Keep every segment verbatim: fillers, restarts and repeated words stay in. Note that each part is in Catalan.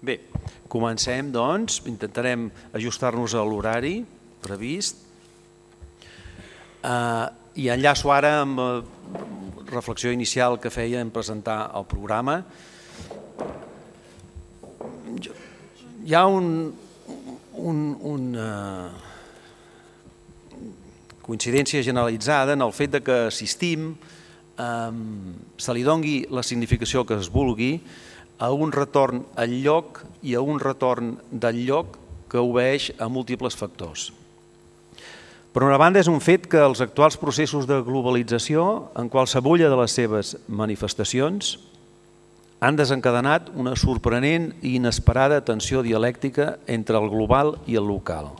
Bé, comencem, doncs. Intentarem ajustar-nos a l'horari previst. I enllaço ara amb la reflexió inicial que feia en presentar el programa. Hi ha un, un, una coincidència generalitzada en el fet de que assistim, se li doni la significació que es vulgui, a un retorn al lloc i a un retorn del lloc que obeeix a múltiples factors. Per una banda, és un fet que els actuals processos de globalització, en qualsevulla de les seves manifestacions, han desencadenat una sorprenent i inesperada tensió dialèctica entre el global i el local.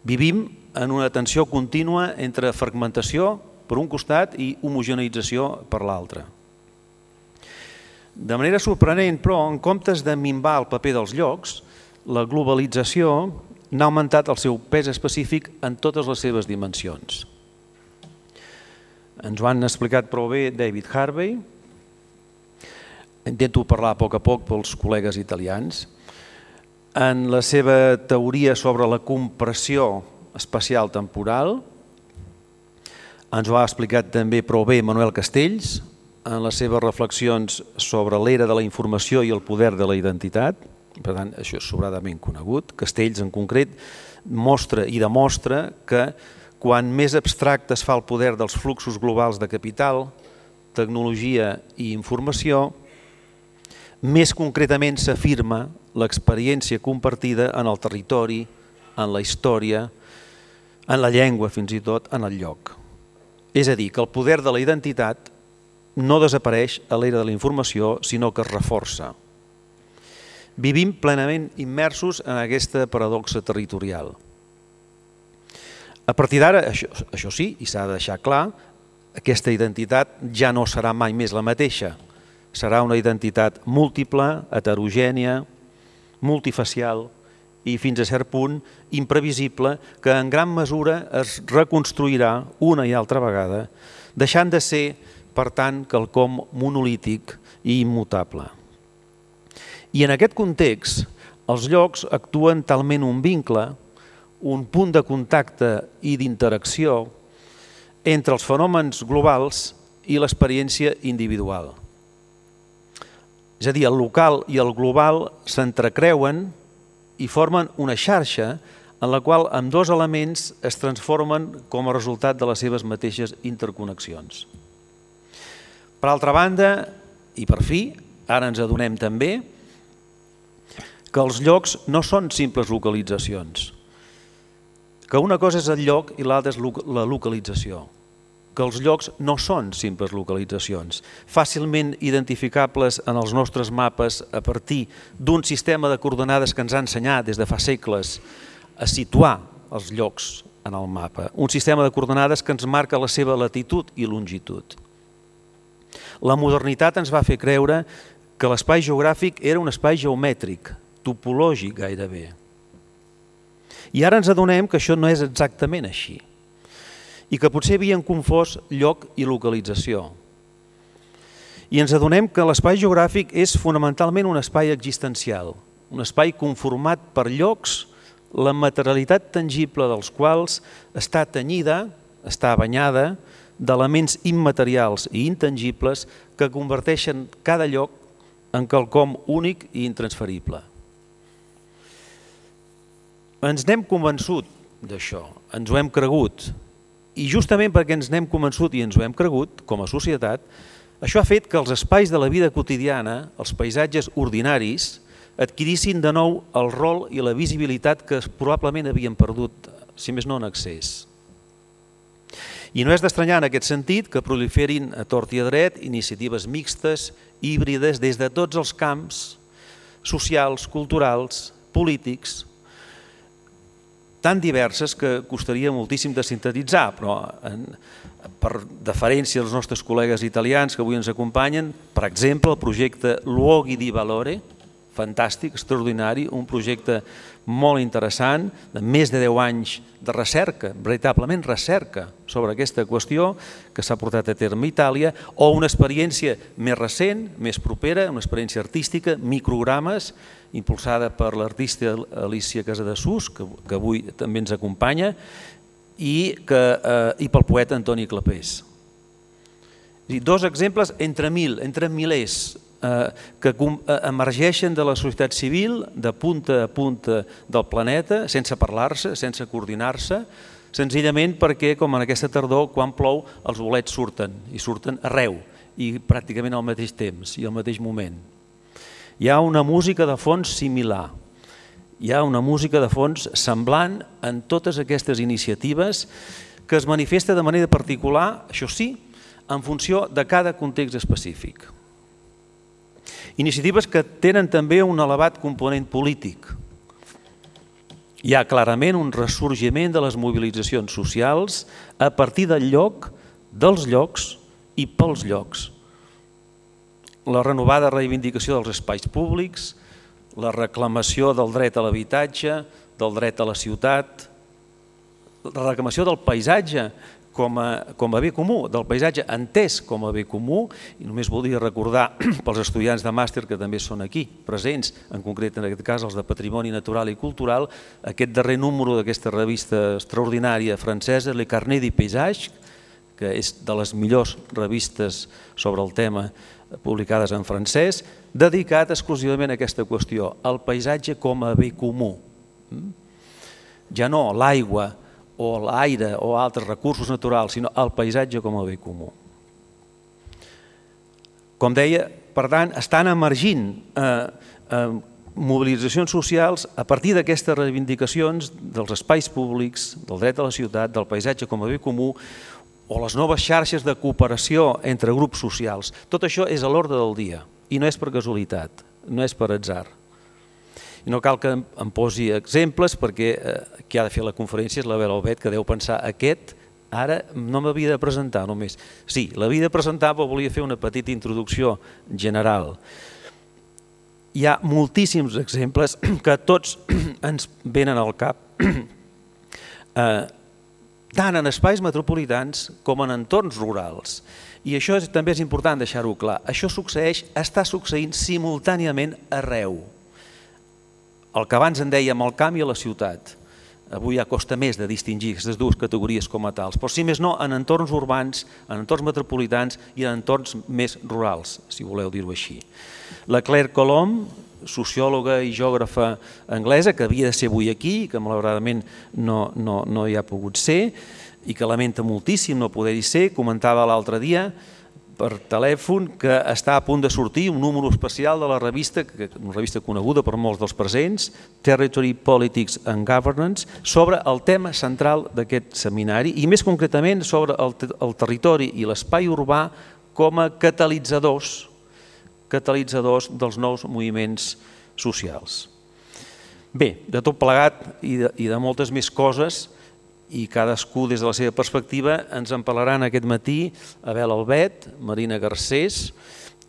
Vivim en una tensió contínua entre fragmentació per un costat i homogeneïtzació per l'altre. De manera sorprenent, però, en comptes de minvar el paper dels llocs, la globalització n'ha augmentat el seu pes específic en totes les seves dimensions. Ens ho han explicat prou bé David Harvey. Intento parlar a poc a poc pels col·legues italians. En la seva teoria sobre la compressió espacial temporal, ens ho ha explicat també prou bé Manuel Castells, en les seves reflexions sobre l'era de la informació i el poder de la identitat. Per tant, això és sobradament conegut. Castells, en concret, mostra i demostra que quan més abstracte es fa el poder dels fluxos globals de capital, tecnologia i informació, més concretament s'afirma l'experiència compartida en el territori, en la història, en la llengua, fins i tot, en el lloc. És a dir, que el poder de la identitat no desapareix a l'era de la informació, sinó que es reforça. Vivim plenament immersos en aquesta paradoxa territorial. A partir d'ara, això, això sí, i s'ha de deixar clar, aquesta identitat ja no serà mai més la mateixa. Serà una identitat múltiple, heterogènia, multifacial i fins a cert punt imprevisible, que en gran mesura es reconstruirà una i altra vegada, deixant de ser, per tant, quelcom monolític i immutable. I en aquest context, els llocs actuen talment un vincle, un punt de contacte i d'interacció entre els fenòmens globals i l'experiència individual. És a dir, el local i el global s'entrecreuen i formen una xarxa en la qual ambdós elements es transformen com a resultat de les seves mateixes interconnexions. Per altra banda, i per fi, ara ens adonem també que els llocs no són simples localitzacions, que una cosa és el lloc i l'altra és la localització, que els llocs no són simples localitzacions, fàcilment identificables en els nostres mapes a partir d'un sistema de coordenades que ens ha ensenyat des de fa segles a situar els llocs en el mapa, un sistema de coordenades que ens marca la seva latitud i longitud. La modernitat ens va fer creure que l'espai geogràfic era un espai geomètric, topològic gairebé. I ara ens adonem que això no és exactament així i que potser havien confós lloc i localització. I ens adonem que l'espai geogràfic és fonamentalment un espai existencial, un espai conformat per llocs, la materialitat tangible dels quals està tenyida, està banyada d'elements immaterials i intangibles que converteixen cada lloc en quelcom únic i intransferible. Ens n'hem convençut d'això, ens ho hem cregut, i justament perquè ens n'hem convençut i ens ho hem cregut, com a societat, això ha fet que els espais de la vida quotidiana, els paisatges ordinaris, adquirissin de nou el rol i la visibilitat que probablement havien perdut, si més no en excés. I no és d'estranyar en aquest sentit que proliferin a tort i a dret iniciatives mixtes, híbrides, des de tots els camps socials, culturals, polítics, tan diverses que costaria moltíssim de sintetitzar, però en, per deferència als nostres col·legues italians que avui ens acompanyen, per exemple, el projecte Luoghi di Valore, fantàstic, extraordinari, un projecte molt interessant, de més de deu anys de recerca, veritablement recerca sobre aquesta qüestió que s'ha portat a terme a Itàlia, o una experiència més recent, més propera, una experiència artística, microgrames, impulsada per l'artista Alicia Casadesús, que, que avui també ens acompanya, i, que, eh, i pel poeta Antoni Clapés. Dos exemples entre mil, entre milers, que emergeixen de la societat civil de punta a punta del planeta sense parlar-se, sense coordinar-se, senzillament perquè, com en aquesta tardor, quan plou, els bolets surten, i surten arreu, i pràcticament al mateix temps i al mateix moment. Hi ha una música de fons similar, hi ha una música de fons semblant en totes aquestes iniciatives que es manifesta de manera particular, això sí, en funció de cada context específic. Iniciatives que tenen també un elevat component polític. Hi ha clarament un ressorgiment de les mobilitzacions socials a partir del lloc, dels llocs i pels llocs. La renovada reivindicació dels espais públics, la reclamació del dret a l'habitatge, del dret a la ciutat, la reclamació del paisatge com a, com a bé comú, del paisatge entès com a bé comú, i només voldria recordar pels estudiants de màster que també són aquí presents, en concret en aquest cas els de Patrimoni Natural i Cultural, aquest darrer número d'aquesta revista extraordinària francesa, Le Carnet du Paysage, que és de les millors revistes sobre el tema publicades en francès, dedicat exclusivament a aquesta qüestió, el paisatge com a bé comú. Ja no l'aigua, o l'aire o altres recursos naturals, sinó el paisatge com a bé comú. Com deia, per tant, estan emergint eh, eh, mobilitzacions socials a partir d'aquestes reivindicacions dels espais públics, del dret a la ciutat, del paisatge com a bé comú, o les noves xarxes de cooperació entre grups socials. Tot això és a l'ordre del dia i no és per casualitat, no és per atzar. I no cal que em posi exemples perquè qui ha de fer la conferència és la Bel Albet, que deu pensar aquest, ara no m'havia de presentar només. Sí, l'havia de presentar però volia fer una petita introducció general. Hi ha moltíssims exemples que tots ens venen al cap, tant en espais metropolitans com en entorns rurals. I això també és important deixar-ho clar. Això succeeix, està succeint simultàniament arreu. El que abans en dèiem el camp i a la ciutat. Avui ja costa més de distingir aquestes dues categories com a tals, però si més no en entorns urbans, en entorns metropolitans i en entorns més rurals, si voleu dir-ho així. La Claire Colomb, sociòloga i geògrafa anglesa, que havia de ser avui aquí, que malauradament no, no, no hi ha pogut ser, i que lamenta moltíssim no poder-hi ser, comentava l'altre dia per telèfon que està a punt de sortir un número especial de la revista, una revista coneguda per molts dels presents, Territory, Politics and Governance, sobre el tema central d'aquest seminari i més concretament sobre el, el territori i l'espai urbà com a catalitzadors, catalitzadors dels nous moviments socials. Bé, de tot plegat i de, i de moltes més coses, i cadascú des de la seva perspectiva ens en parlaran aquest matí Abel Albet, Marina Garcés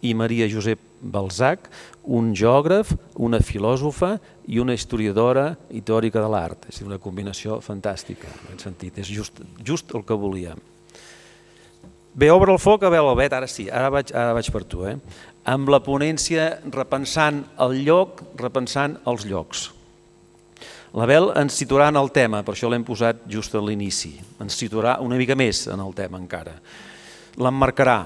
i Maria Josep Balzac, un geògraf, una filòsofa i una historiadora i teòrica de l'art. És una combinació fantàstica, en aquest sentit, és just, just el que volíem. Bé, obre el foc, Abel Albet, ara sí, ara vaig, ara vaig per tu, eh? Amb la ponència repensant el lloc, repensant els llocs. L'Abel ens situarà en el tema, per això l'hem posat just a l'inici, ens situarà una mica més en el tema encara. L'emmarcarà,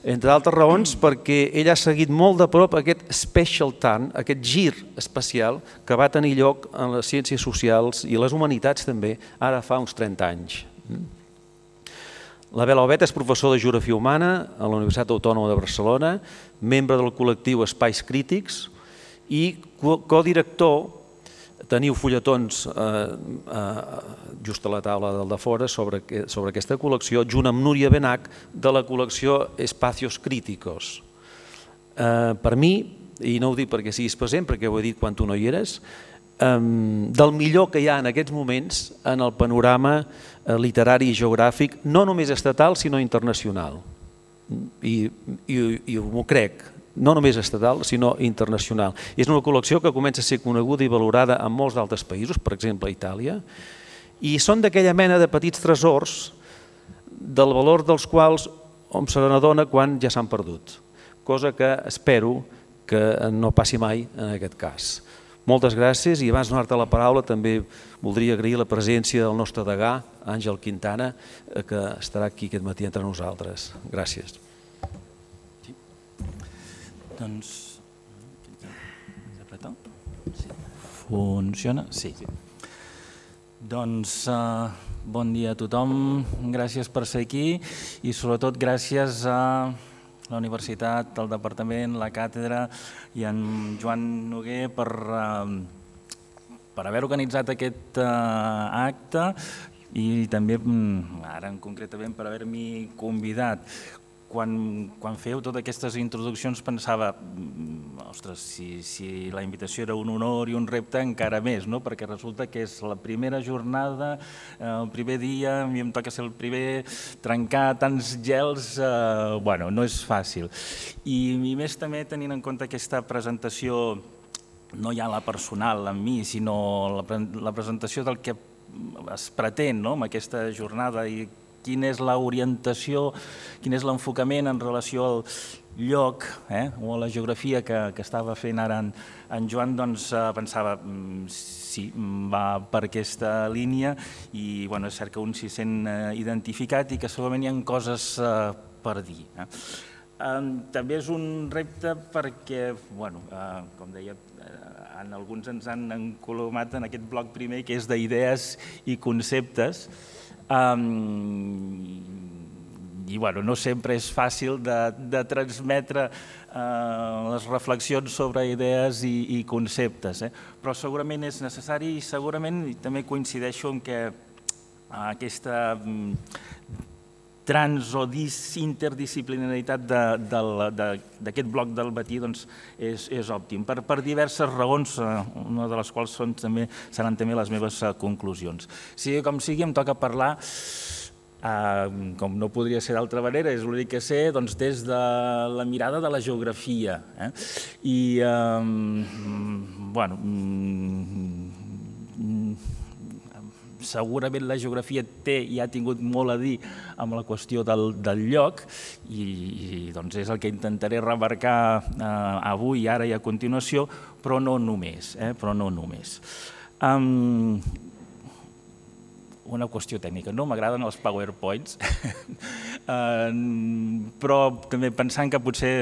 entre altres raons perquè ell ha seguit molt de prop aquest special turn, aquest gir especial que va tenir lloc en les ciències socials i les humanitats també, ara fa uns trenta anys. L'Abel Albet és professor de Geografia Humana a la Universitat Autònoma de Barcelona, membre del col·lectiu Espais Crítics i codirector. Teniu fulletons eh, eh, just a la taula del de fora sobre, sobre aquesta col·lecció, junt amb Núria Benach, de la col·lecció Espacios Críticos. Eh, per mi, i no ho dic perquè siguis present, perquè ho he dit quan tu no hi eres, eh, del millor que hi ha en aquests moments en el panorama eh, literari i geogràfic, no només estatal, sinó internacional. I, i, i m'ho crec, no només estatal, sinó internacional. És una col·lecció que comença a ser coneguda i valorada en molts d'altres països, per exemple a Itàlia, i són d'aquella mena de petits tresors del valor dels quals hom se n'adona quan ja s'han perdut, cosa que espero que no passi mai en aquest cas. Moltes gràcies i abans de donar-te la paraula també voldria agrair la presència del nostre degà, Àngel Quintana, que estarà aquí aquest matí entre nosaltres. Gràcies. Doncs... Funciona? Sí. Doncs bon dia a tothom, gràcies per ser aquí i sobretot gràcies a la Universitat, el Departament, la Càtedra i en Joan Noguer per, per haver organitzat aquest acte i també, ara concretament, per haver-m'hi convidat. Quan, quan feu totes aquestes introduccions pensava, ostres, si, si la invitació era un honor i un repte encara més, no? Perquè resulta que és la primera jornada, el primer dia, a mi em toca ser el primer, trencar tants gels, eh, bueno, no és fàcil. I, i més també tenint en compte aquesta presentació, no ja la personal en mi, sinó la, la presentació del que es pretén, no? Amb aquesta jornada i quina és l'orientació, quin és l'enfocament en relació al lloc eh, o a la geografia que, que estava fent ara en, en Joan, doncs eh, pensava, sí, va per aquesta línia i bueno, és cert que un s'hi sent eh, identificat i que segurament hi ha coses eh, per dir. Eh. Eh, també és un repte perquè, bueno, eh, com deia, eh, en alguns ens han encolomat en aquest bloc primer que és d'idees i conceptes. Um, i bueno, no sempre és fàcil de, de transmetre uh, les reflexions sobre idees i, i conceptes, eh? Però segurament és necessari i segurament també coincideixo en que uh, aquesta um, trans o interdisciplinaritat d'aquest bloc del matí doncs, és, és òptim, per, per diverses raons, una de les quals són, també, seran també les meves conclusions. Sigui com sigui, em toca parlar, eh, com no podria ser d'altra manera, és l'únic que sé, doncs, des de la mirada de la geografia. Eh? I, eh, bueno, segurament la geografia té i ha tingut molt a dir amb la qüestió del, del lloc i, i doncs és el que intentaré remarcar eh, avui, ara i a continuació, però no només. Eh, però no només. Um, una qüestió tècnica, no m'agraden els PowerPoints, uh, però també pensant que potser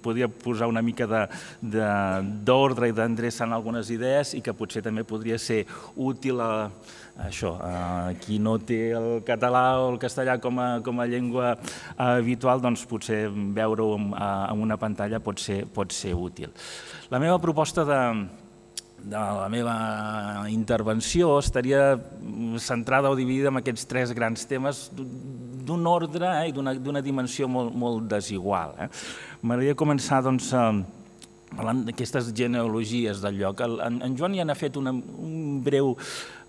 podria posar una mica d'ordre i d'endreçar en algunes idees i que potser també podria ser útil a això, eh, qui no té el català o el castellà com a, com a llengua habitual, doncs potser veure-ho en, en una pantalla pot ser, pot ser útil. La meva proposta de, de la meva intervenció estaria centrada o dividida en aquests tres grans temes d'un ordre eh, i d'una dimensió molt, molt desigual. Eh. M'agradaria començar doncs, parlant d'aquestes genealogies del lloc. En, en Joan ja n'ha fet una, un breu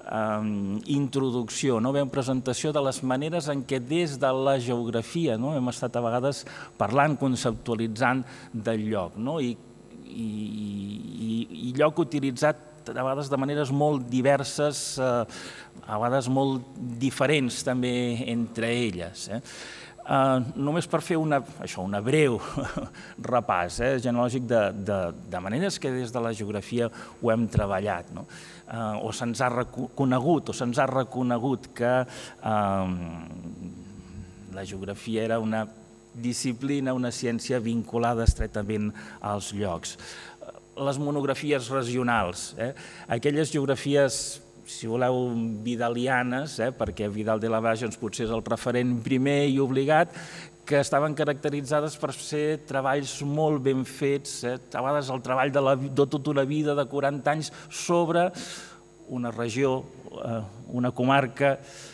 Um, introducció, no? Una presentació de les maneres en què des de la geografia no? Hem estat a vegades parlant, conceptualitzant del lloc, no? I, i, i, i lloc utilitzat a vegades de maneres molt diverses, eh, a vegades molt diferents també entre elles. Eh? Uh, només per fer una, això, una breu repàs eh, genològic de, de, de maneres que des de la geografia ho hem treballat, no? uh, o se'ns ha reconegut, o se'ns ha reconegut que uh, la geografia era una disciplina, una ciència vinculada estretament als llocs. Les monografies regionals, eh, aquelles geografies, si voleu, vidalianes, eh, perquè Vidal de la Valle doncs, potser és el referent primer i obligat, que estaven caracteritzades per ser treballs molt ben fets, eh, a vegades el treball de, la, de tota una vida, de quaranta anys, sobre una regió, eh, una comarca,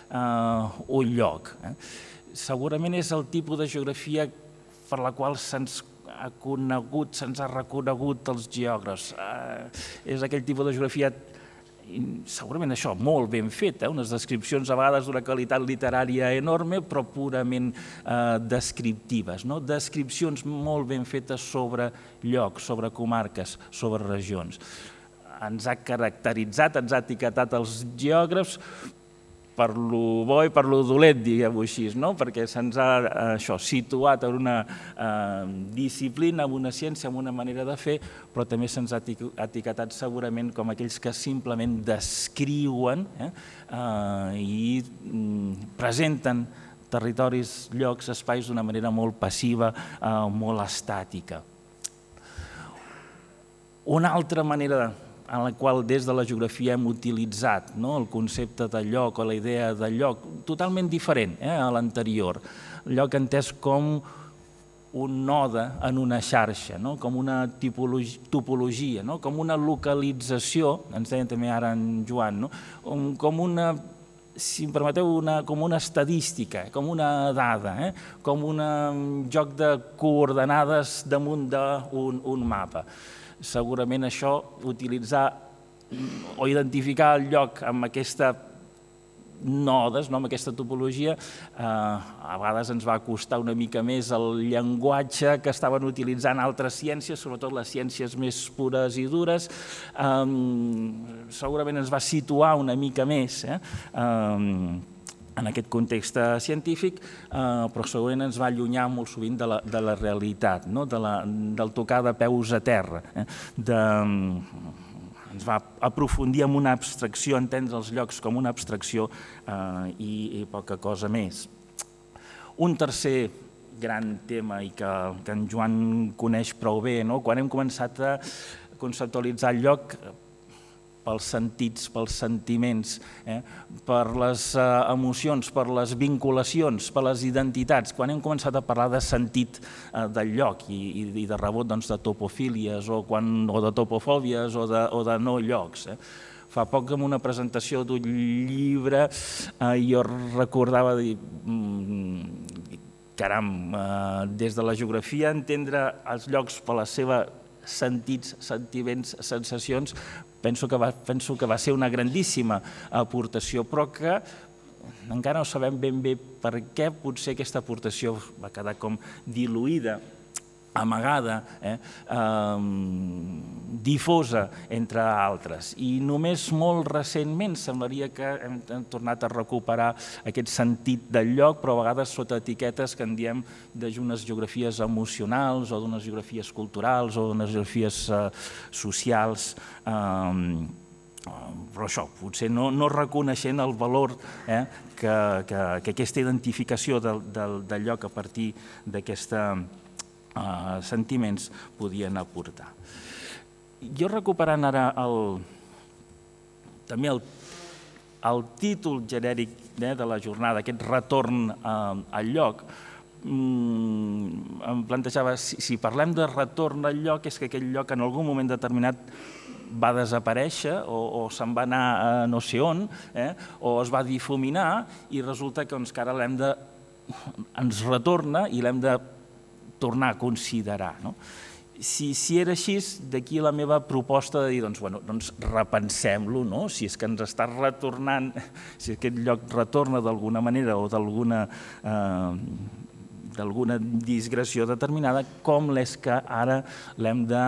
eh, un lloc. Eh. Segurament és el tipus de geografia per la qual se'ns ha conegut, se'ns ha reconegut els geògrafs. Eh, és aquell tipus de geografia segurament això, molt ben fet, unes descripcions a vegades d'una qualitat literària enorme, però purament descriptives, descripcions molt ben fetes sobre llocs, sobre comarques, sobre regions. Ens ha caracteritzat, ens ha etiquetat els geògrafs per lo bo i per lo dolent, diguem-ho així, perquè se'ns ha situat en una disciplina, en una ciència, en una manera de fer, però també se'ns ha etiquetat segurament com aquells que simplement descriuen i presenten territoris, llocs, espais d'una manera molt passiva, molt estàtica. Una altra manera en la qual des de la geografia hem utilitzat el concepte de lloc o la idea de lloc totalment diferent a l'anterior. Lloc entès com un node en una xarxa, com una topologia, com una localització, ens deien també ara en Joan, com una, si em permeteu, com una estadística, com una dada, com un joc de coordenades damunt d'un mapa. Segurament això, utilitzar o identificar el lloc amb aquesta nodes, amb aquesta topologia, a vegades ens va costar una mica més el llenguatge que estaven utilitzant altres ciències, sobretot les ciències més pures i dures. Segurament ens va situar una mica més en aquest context científic, però segurament ens va allunyar molt sovint de la realitat, del tocar de peus a terra. Ens va aprofundir en una abstracció, entendre els llocs com una abstracció i poca cosa més. Un tercer gran tema i que en Joan coneix prou bé, quan hem començat a conceptualitzar el lloc pels sentits, pels sentiments, per les emocions, per les vinculacions, per les identitats, quan hem començat a parlar de sentit del lloc i de rebot de topofílies o de topofòbies o de no llocs. Fa poc en una presentació d'un llibre jo recordava dir caram, des de la geografia entendre els llocs per les seves sentits, sentiments, sensacions, penso que va ser una grandíssima aportació, però que encara no sabem ben bé per què potser aquesta aportació va quedar com diluïda, amagada, difosa, entre altres. I només molt recentment semblaria que hem tornat a recuperar aquest sentit del lloc, però a vegades sota etiquetes que en diem d'unes geografies emocionals o d'unes geografies culturals o d'unes geografies socials, però això, potser no reconeixent el valor que aquesta identificació del lloc a partir d'aquesta sentiments podien aportar. Jo recuperant ara també el títol genèric de la jornada, aquest retorn al lloc, em plantejava, si parlem de retorn al lloc, és que aquell lloc en algun moment determinat va desaparèixer o se'n va anar a no sé on, o es va difuminar i resulta que ara l'hem de... ens retorna i l'hem de tornar a considerar. Si era així, d'aquí la meva proposta de dir, doncs repensem-lo, si és que ens està retornant, si aquest lloc retorna d'alguna manera o d'alguna digressió determinada, com és que ara l'hem de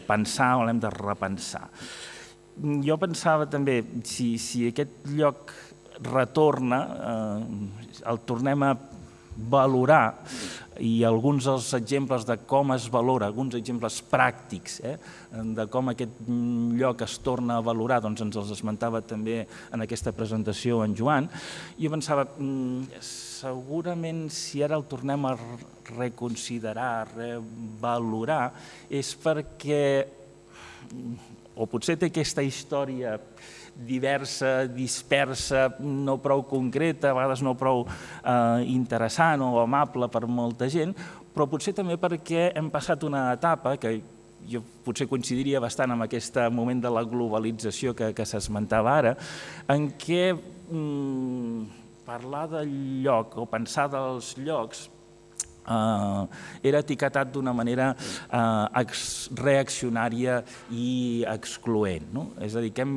pensar o l'hem de repensar. Jo pensava també, si aquest lloc retorna, el tornem a valorar, i alguns dels exemples de com es valora, alguns exemples pràctics de com aquest lloc es torna a valorar, doncs ens els esmentava també en aquesta presentació en Joan. Jo pensava, segurament si ara el tornem a reconsiderar, revalorar, és perquè, o potser té aquesta història diversa, dispersa, no prou concreta, a vegades no prou interessant o amable per molta gent, però potser també perquè hem passat una etapa que jo potser coincidiria bastant amb aquest moment de la globalització que s'esmentava ara, en què parlar del lloc o pensar dels llocs era etiquetat d'una manera reaccionària i excloent. És a dir, que hem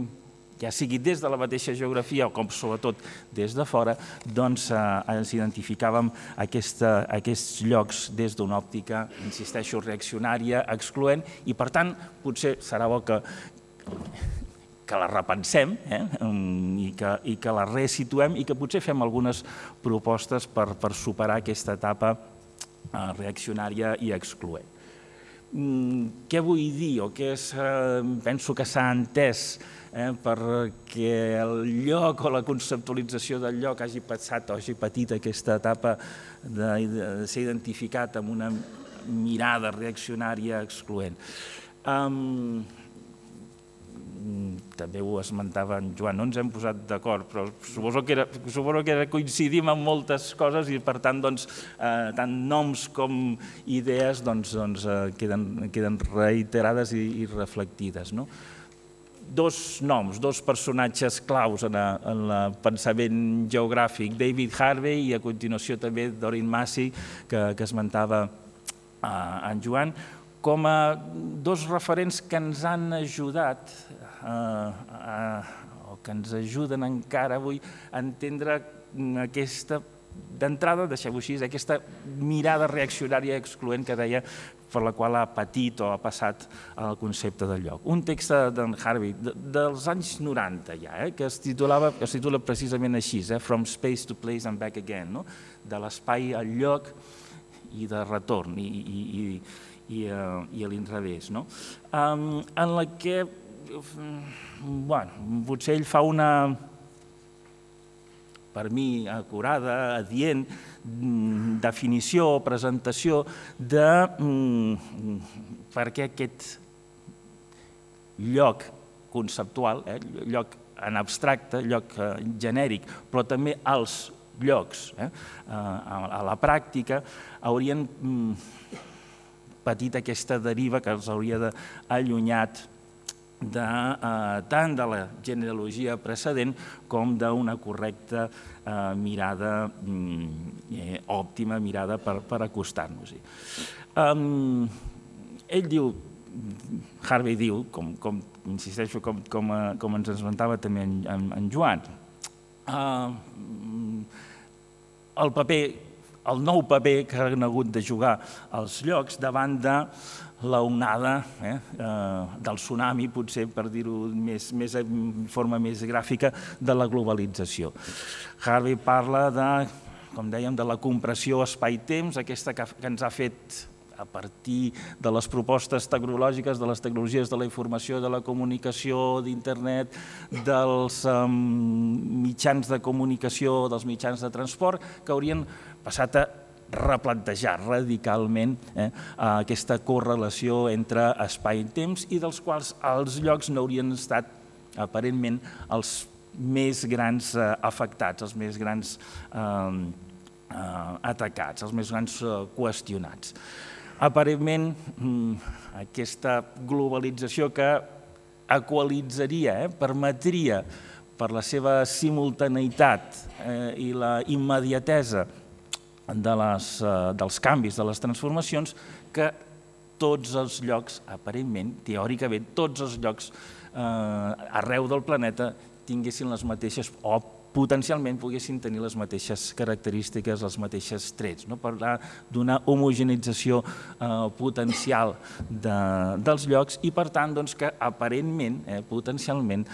ja sigui des de la mateixa geografia o com sobretot des de fora, doncs ens identificàvem aquests llocs des d'una òptica, insisteixo, reaccionària, excloent, i per tant potser serà bo que que la repensem i que la resituem i que potser fem algunes propostes per superar aquesta etapa reaccionària i excloent. Què vull dir o què penso que s'ha entès perquè el lloc o la conceptualització del lloc hagi passat o hagi patit aquesta etapa de ser identificat amb una mirada reaccionària excloent? També ho esmentava en Joan, no ens hem posat d'acord, però suposo que coincidim en moltes coses i per tant tant noms com idees queden reiterades i reflectides. Dos noms, dos personatges claus en el pensament geogràfic, David Harvey i a continuació també Doreen Massey, que esmentava en Joan, com a dos referents que ens han ajudat o que ens ajuden encara avui a entendre aquesta, d'entrada, deixeu-ho així, aquesta mirada reaccionària excloent que deia per la qual ha patit o ha passat el concepte del lloc. Un text d'en Harvey dels anys noranta ja, que es titula precisament així, From Space to Place and Back Again, de l'espai al lloc i de retorn i a l'inrevés, en la que potser ell fa una, per mi, acurada, adient, definició o presentació de per què aquest lloc conceptual, lloc en abstracte, lloc genèric, però també els llocs a la pràctica haurien patit aquesta deriva que els hauria d'allunyat tant de la genealogia precedent com d'una correcta mirada òptima, mirada per acostar-nos-hi. Ell diu, Harvey diu, insisteixo, com ens esmentava també en Joan, el paper, el nou paper que han hagut de jugar els llocs davant de l'onada del tsunami, potser per dir-ho de forma més gràfica, de la globalització. Harvey parla de, com dèiem, de la compressió espai-temps, aquesta que ens ha fet a partir de les propostes tecnològiques, de les tecnologies de la informació, de la comunicació, d'internet, dels mitjans de comunicació, dels mitjans de transport, que haurien passat a replantejar radicalment aquesta correlació entre espai i temps i dels quals els llocs no haurien estat aparentment els més grans afectats, els més grans atacats, els més grans qüestionats. Aparentment, aquesta globalització que equalitzaria, permetria, per la seva simultaneïtat i la immediatesa dels canvis, de les transformacions, que tots els llocs, aparentment, teòricament, tots els llocs arreu del planeta tinguessin les mateixes, o potencialment poguessin tenir les mateixes característiques, els mateixos trets. Parlar d'una homogenització potencial dels llocs i, per tant, que aparentment, potencialment,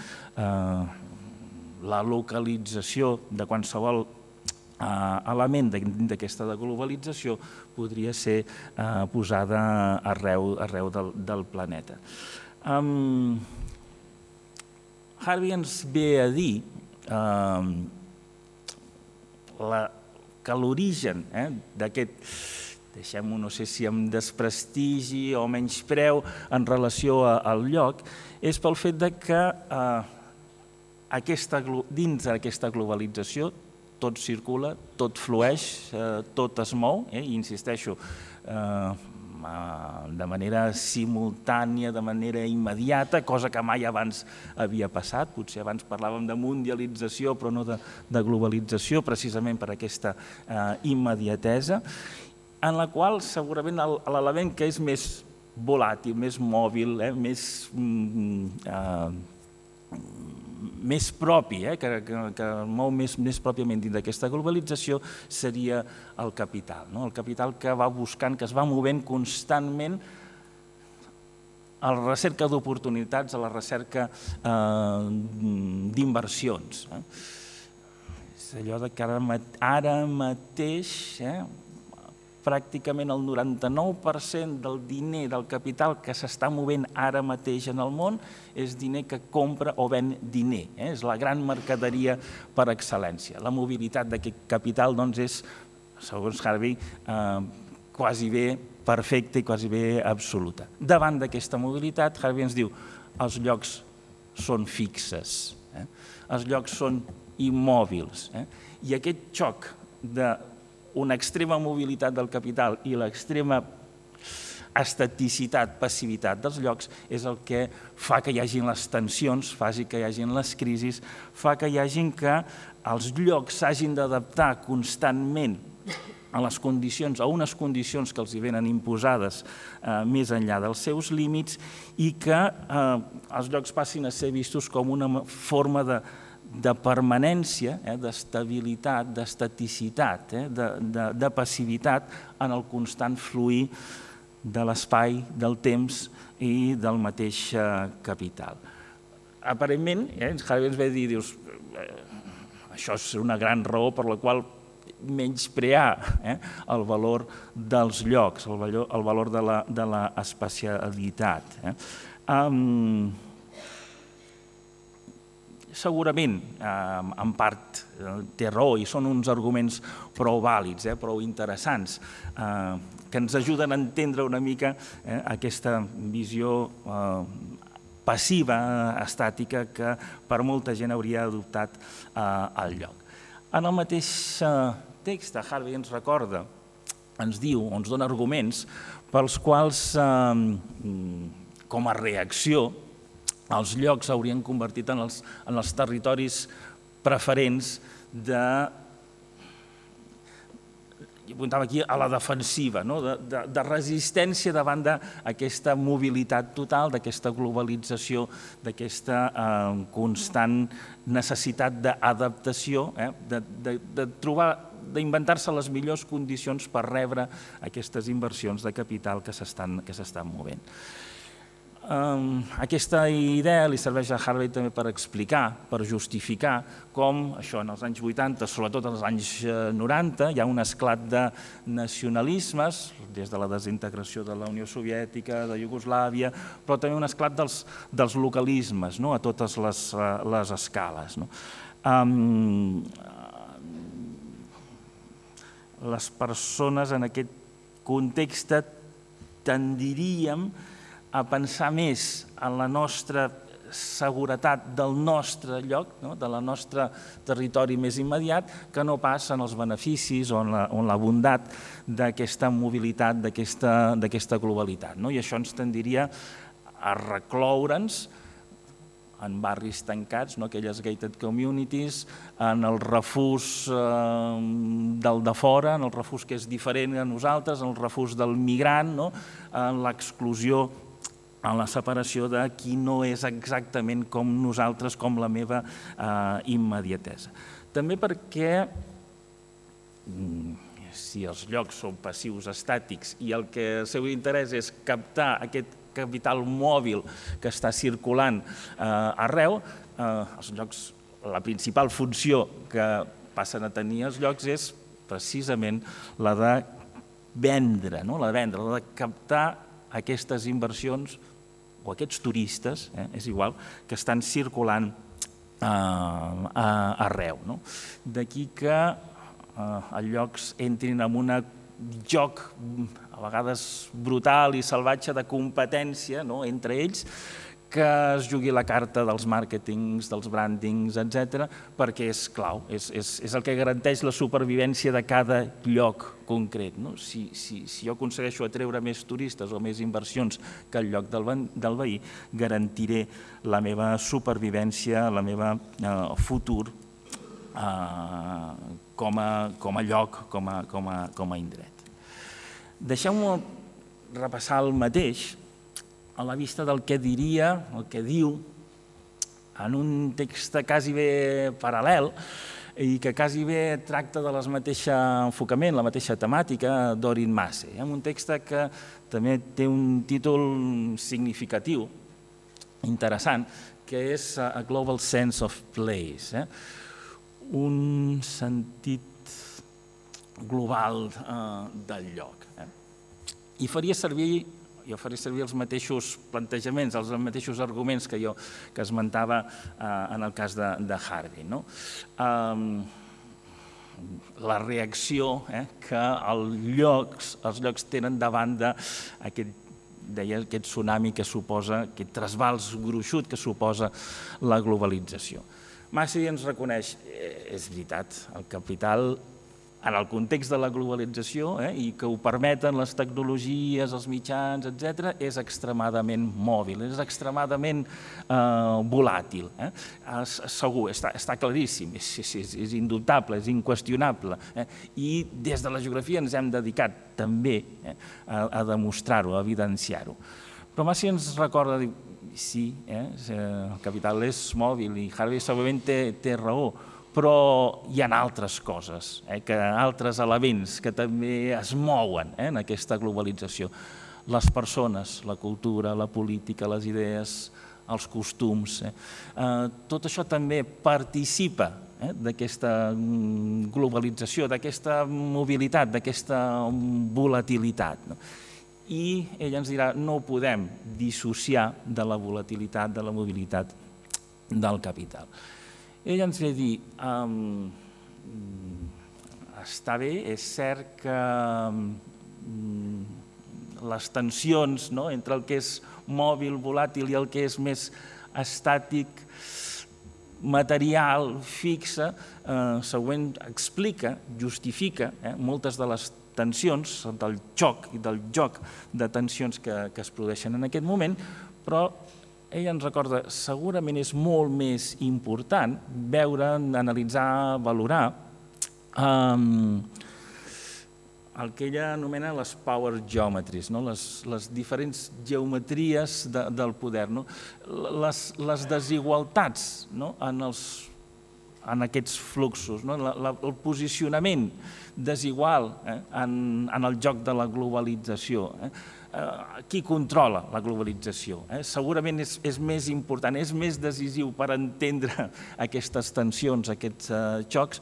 la localització de qualsevol element d'aquesta globalització podria ser posada arreu del planeta. Harvey ens ve a dir que l'origen d'aquest, deixem-ho, no sé si amb desprestigi o menyspreu en relació al lloc, és pel fet que dins d'aquesta globalització tot circula, tot flueix, tot es mou, i insisteixo, de manera simultània, de manera immediata, cosa que mai abans havia passat. Potser abans parlàvem de mundialització, però no de globalització, precisament per aquesta immediatesa, en la qual segurament l'element que és més volàtil, més mòbil, més més propi, que mou més pròpiament dins d'aquesta globalització, seria el capital. El capital que va buscant, que es va movent constantment a la recerca d'oportunitats, a la recerca d'inversions. És allò que ara mateix pràcticament el noranta-nou per cent del diner, del capital que s'està movent ara mateix en el món és diner que compra o ven diner. És la gran mercaderia per excel·lència. La mobilitat d'aquest capital és, segons Harvey, quasi bé perfecta i quasi bé absoluta. Davant d'aquesta mobilitat, Harvey ens diu els llocs són fixes, els llocs són immòbils, i aquest xoc de una extrema mobilitat del capital i l'extrema estaticitat, passivitat dels llocs és el que fa que hi hagin les tensions, fa que hi hagin les crisis, fa que hi hagin que els llocs s'hagin d'adaptar constantment a les condicions, a unes condicions que els hi venen imposades més enllà dels seus límits i que els llocs passin a ser vistos com una forma de de permanència, d'estabilitat, d'estaticitat, de passivitat en el constant fluir de l'espai, del temps i del mateix capital. Aparentment, Harvey ens ve a dir, dius, això és una gran raó per la qual menysprear el valor dels llocs, el valor de l'especialitat. Segurament, en part, té raó i són uns arguments prou vàlids, prou interessants, que ens ajuden a entendre una mica aquesta visió passiva, estàtica, que per molta gent hauria adoptat el lloc. En el mateix text, Harvey ens recorda, ens diu, ens dona arguments pels quals, com a reacció, els llocs s'haurien convertit en els territoris preferents de, jo apuntava aquí, a la defensiva, de resistència davant d'aquesta mobilitat total, d'aquesta globalització, d'aquesta constant necessitat d'adaptació, de trobar, d'inventar-se les millors condicions per rebre aquestes inversions de capital que s'estan movent. Aquesta idea li serveix a Harvey també per explicar, per justificar com això en els anys vuitanta, sobretot en els anys noranta, hi ha un esclat de nacionalismes, des de la desintegració de la Unió Soviètica, de Iugoslàvia, però també un esclat dels localismes a totes les escales. Les persones en aquest context tendiríem a pensar més en la nostra seguretat del nostre lloc, del nostre territori més immediat, que no pas en els beneficis o en la bondat d'aquesta mobilitat, d'aquesta globalitat. I això ens tendiria a recloure'ns en barris tancats, aquelles gated communities, en el refús del de fora, en el refús que és diferent a nosaltres, en el refús del migrant, en l'exclusió, en la separació de qui no és exactament com nosaltres, com la meva immediatesa. També perquè, si els llocs són passius estàtics i el que el seu interès és captar aquest capital mòbil que està circulant arreu, els llocs, la principal funció que passen a tenir els llocs és precisament la de vendre, la de vendre, la de captar aquestes inversions o aquests turistes, és igual, que estan circulant arreu. D'aquí que els llocs entrin en un joc a vegades brutal i salvatge de competència entre ells, que es jugui la carta dels màrquetings, dels brandings, etcètera, perquè és clau, és el que garanteix la supervivència de cada lloc concret. Si jo aconsegueixo atreure més turistes o més inversions que el lloc del veí, garantiré la meva supervivència, el meu futur com a lloc, com a indret. Deixeu-me repassar el mateix a la vista del que diria, el que diu en un text quasi bé paral·lel i que quasi bé tracta de la mateixa enfocament, la mateixa temàtica d'Orin Massey. Un text que també té un títol significatiu, interessant, que és A Global Sense of Place, un sentit global del lloc. I faria servir, jo faria servir els mateixos plantejaments, els mateixos arguments que jo que esmentava en el cas de Harvey. La reacció que els llocs tenen davant d'aquest deia aquest tsunami que suposa, aquest trasbals gruixut que suposa la globalització. Massey ens reconeix, és veritat, el capital en el context de la globalització i que ho permeten les tecnologies, els mitjans, etcètera, és extremadament mòbil, és extremadament volàtil. Segur, està claríssim, és indubtable, és inqüestionable. I des de la geografia ens hem dedicat també a demostrar-ho, a evidenciar-ho. Però Massey ens recorda, sí, el capital és mòbil i Harvey segurament té raó, però hi ha altres coses, altres elements que també es mouen en aquesta globalització. Les persones, la cultura, la política, les idees, els costums. Tot això també participa d'aquesta globalització, d'aquesta mobilitat, d'aquesta volatilitat. I ella ens dirà, no ho podem dissociar de la volatilitat, de la mobilitat del capital. Ella ens ve a dir, està bé, és cert que les tensions entre el que és mòbil, volàtil i el que és més estàtic, material, fixe, següent explica, justifica moltes de les tensions, del xoc i del joc de tensions que es produeixen en aquest moment, però ella ens recorda, segurament és molt més important veure, analitzar, valorar el que ella anomena les power geometries, les diferents geometries del poder, les desigualtats en aquests fluxos, el posicionament desigual en el joc de la globalització. Qui controla la globalització? Segurament és més important, és més decisiu per entendre aquestes tensions, aquests xocs,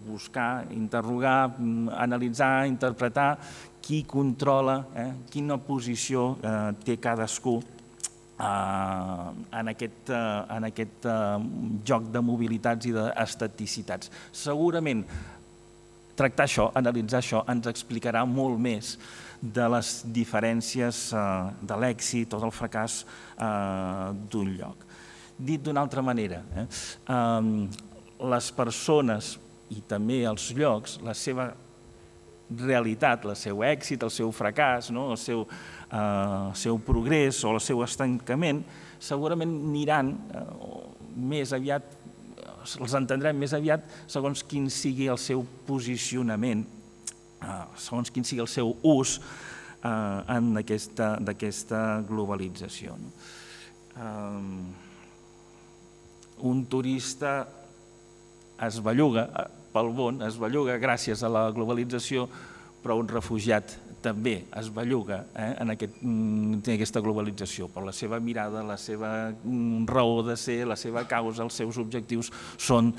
buscar, interrogar, analitzar, interpretar qui controla, quina posició té cadascú en aquest joc de mobilitats i d'estaticitats. Segurament tractar això, analitzar això, ens explicarà molt més de les diferències de l'èxit o del fracàs d'un lloc. Dit d'una altra manera, les persones i també els llocs, la seva realitat, el seu èxit, el seu fracàs, el seu progrés o el seu estancament, segurament aniran més aviat, els entendrem més aviat segons quin sigui el seu posicionament, segons quin sigui el seu ús d'aquesta globalització. Un turista es belluga pel món, es belluga gràcies a la globalització, però un refugiat també es belluga en aquesta globalització, per la seva mirada, la seva raó de ser, la seva causa, els seus objectius són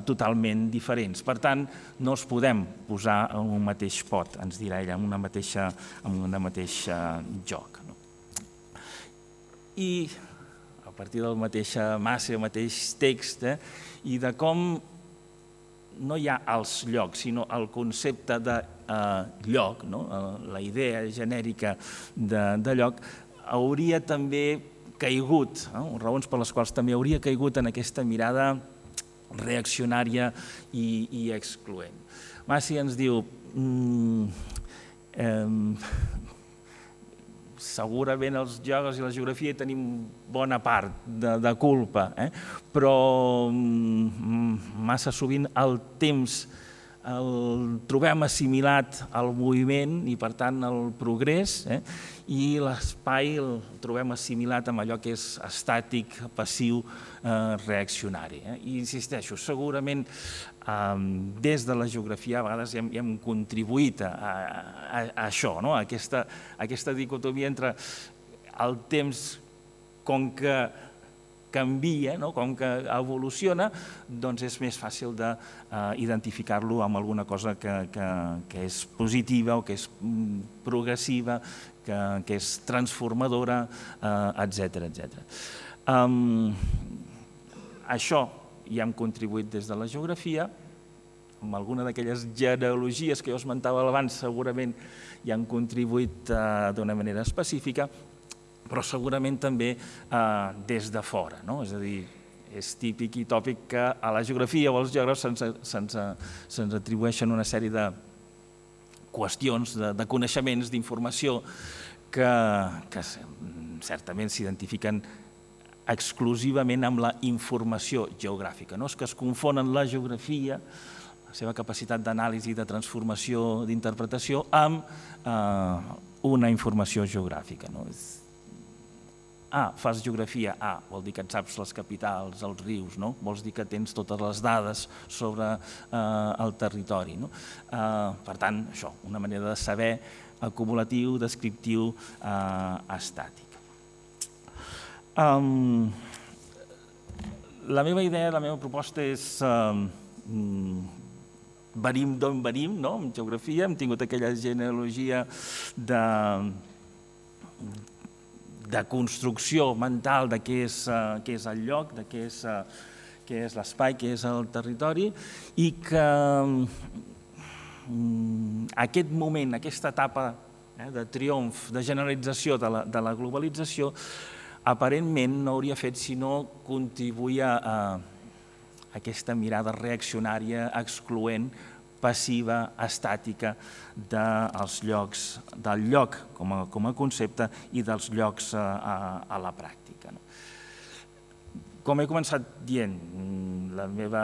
totalment diferents. Per tant, no els podem posar en un mateix pot, ens dirà ella, en un mateix joc. I a partir del mateix Massey, el mateix text, i de com no hi ha els llocs, sinó el concepte de lloc, la idea genèrica de lloc, hauria també caigut, raons per les quals també hauria caigut en aquesta mirada reaccionària i excloent. Massey ens diu, segurament els geògrafs i la geografia tenim bona part de culpa, però massa sovint el temps el trobem assimilat al moviment i, per tant, al progrés, eh? I l'espai el trobem assimilat amb allò que és estàtic, passiu, eh, reaccionari. Eh? I insisteixo, segurament eh, des de la geografia a vegades hem, hem contribuït a, a, a això, no? a, aquesta, a aquesta dicotomia entre el temps com que canvia, no? Com que evoluciona, doncs és més fàcil d'identificar-lo amb alguna cosa que, que, que és positiva o que és progressiva, que, que és transformadora, eh, etcètera, etcètera. Um, això ja hem contribuït des de la geografia, amb alguna d'aquelles genealogies que jo esmentava abans segurament ja han contribuït uh, d'una manera específica, però segurament també eh, des de fora. No? És a dir, és típic i tòpic que a la geografia o als geògrafs se'ns se'ns se'ns atribueixen una sèrie de qüestions, de, de coneixements, d'informació que, que certament s'identifiquen exclusivament amb la informació geogràfica. No? És que es confonen la geografia, la seva capacitat d'anàlisi, de transformació, d'interpretació, amb eh, una informació geogràfica. No? Ah, fas geografia, ah, vol dir que et saps les capitals, els rius, no? Vols dir que tens totes les dades sobre eh, el territori. No? Eh, per tant, això, una manera de saber acumulatiu, descriptiu, eh, estàtic. Um, la meva idea, la meva proposta és eh, venim d'on venim, no? En geografia hem tingut aquella genealogia de de construcció mental de què és, uh, què és el lloc, de què és, uh, què és l'espai, què és el territori, i que um, aquest moment, aquesta etapa eh, de triomf, de generalització de la, de la globalització, aparentment no hauria fet sinó contribuir a, a aquesta mirada reaccionària, excloent, passiva, estàtica dels llocs, del lloc com a, com a concepte i dels llocs a, a, a la pràctica. No? Com he començat dient, la meva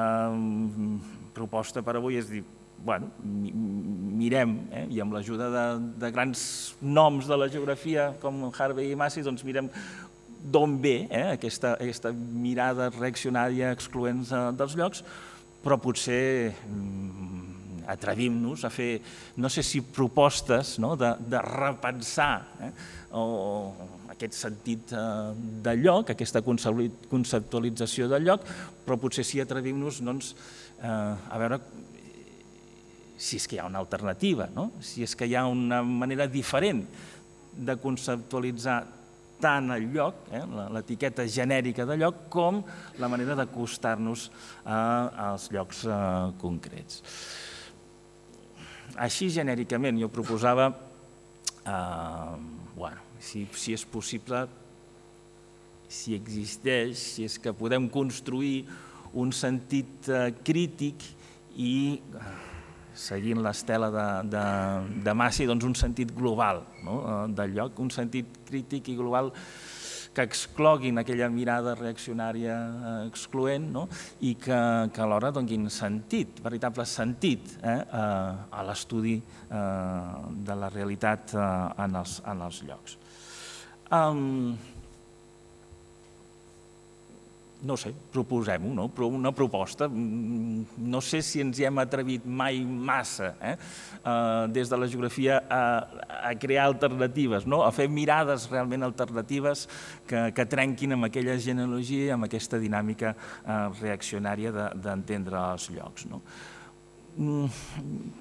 proposta per avui és dir, bueno, mirem, eh, i amb l'ajuda de, de grans noms de la geografia com Harvey i Massey, doncs mirem d'on ve eh, aquesta, aquesta mirada reaccionària excloent dels llocs, però potser atrevim-nos a fer, no sé si propostes, no? de, de repensar eh? o, o aquest sentit eh, del lloc, aquesta conceptualització del lloc, però potser sí atrevim-nos doncs, eh, a veure si és que hi ha una alternativa, no? Si és que hi ha una manera diferent de conceptualitzar tant el lloc, eh, l'etiqueta genèrica de lloc, com la manera d'acostar-nos eh, als llocs eh, concrets. Així, genèricament, jo proposava, eh, bueno, si, si és possible, si existeix, si és que podem construir un sentit eh, crític i, seguint l'estela de, de, de Massey, doncs un sentit global, no? del lloc, un sentit crític i global que excloguin aquella mirada reaccionària excloent, no? I que, que alhora donin sentit, veritable sentit eh, a, a l'estudi eh, de la realitat eh, en, els, en els llocs. Um, no sé, proposem-ho, no? Una proposta. No sé si ens hi hem atrevit mai massa eh? Uh, des de la geografia a, a crear alternatives, no? A fer mirades realment alternatives que, que trenquin amb aquella genealogia i amb aquesta dinàmica uh, reaccionària d'entendre de, els llocs. No? Mm,